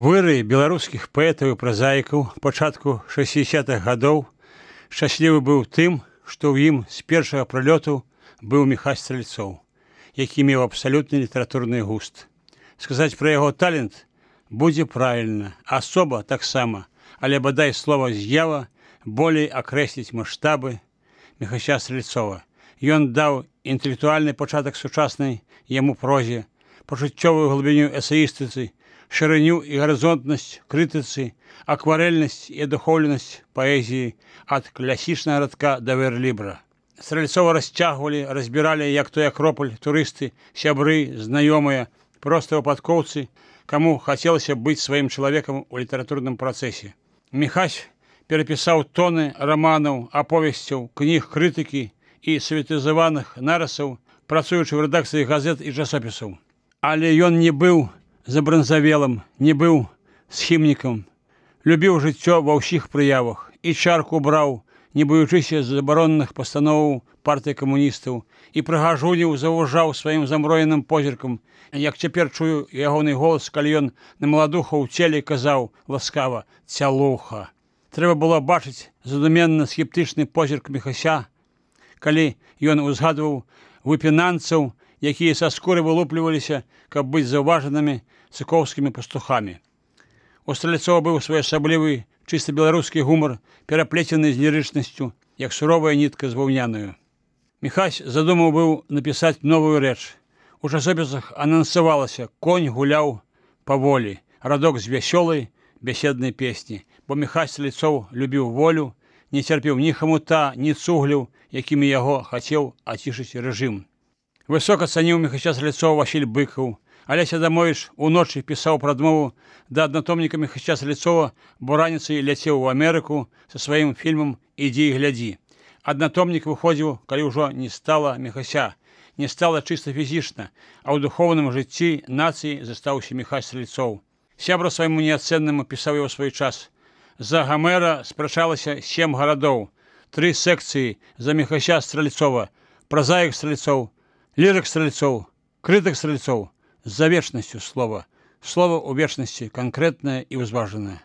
выры беларускіх паэтаў і празаікаў пачатку 60-х гадоў шчаслівы быў тым, што ў ім з першага прылёту быў Міхась Стральцоў, які меў абсалютны літаратурны густ. Сказаць пра яго талент будзе правільна, асоба таксама, але бадай слова «з'ява» болей акрэсліць маштабы Міхася Стральцова. Ён даў інтэлектуальны пачатак сучаснай яму прозе, пачуццёвую глыбіню эсеістыцы, шырыню і гарызонтнасць крытыцы, акварэльнасць і адухоўленасць паэзіі ад класічнага радка да верлібра. Стральцова расцягвалі, разбіралі, як той акропаль, турысты, сябры, знаёмыя, проста выпадкоўцы, каму хацелася быць сваім чалавекам у літаратурным працэсе. Міхась перапісаў тоны раманаў, аповесцяў, кніг крытыкі і саветызаваных нарысаў, працуючы ў рэдакцыі газет і часопісаў. Але ён не быў забранзавелым, не быў схімнікам, любіў жыццё ва ўсіх прыявах і чарку браў, не боючыся забароненых пастановаў партыі камуністаў, і прыгажуніў заўважаў сваім замроеным позіркам, як цяпер чую ягоны голас, калі ён на маладуху ў целе казаў ласкава «цялуха». Трэба было бачыць задуменна-скептычны позірк Міхася, калі ён узгадваў выпінанцаў, якія са скуры вылупліваліся, каб быць заўважанымі цыкоўскімі пастухамі. У Стральцова быў своеасаблівы чыста беларускі гумар, пераплецены з лірычнасцю, як суровая нітка з ваўнянаю. Міхась задумаў быў напісаць новую рэч. У часопісах анансавалася «Конь гуляў паволі», радок з вясёлай бяседнай песні, бо Міхась Стральцоў любіў волю, не цярпеў ні хамута, ні цугляў, якімі яго хацеў ацішыць рэжым. Высока цаніў Міхася Стральцова Васіль Быкаў. Алесь Адамовіч уночы пісаў прадмову да аднатомніка Міхася Стральцова, бо раніцай ляцеў у Амерыку са сваім фільмам «Ідзі і глядзі». Аднатомнік выходзіў, калі ўжо не стала Міхася, не стала чыста фізічна, а ў духоўным жыцці нацыі застаўся Міхась Стральцоў. Сябра свайму неацэннаму пісаў яго свой час. За Гамера спрачалася 7 гарадоў, 3 секцыі за Міхася Стральцова, празаік Стральцоў, лірык Стральцоў, крытык Стральцоў, за вечнасцю слова. Слово у вечнасці канкрэтнае і ўзважанае.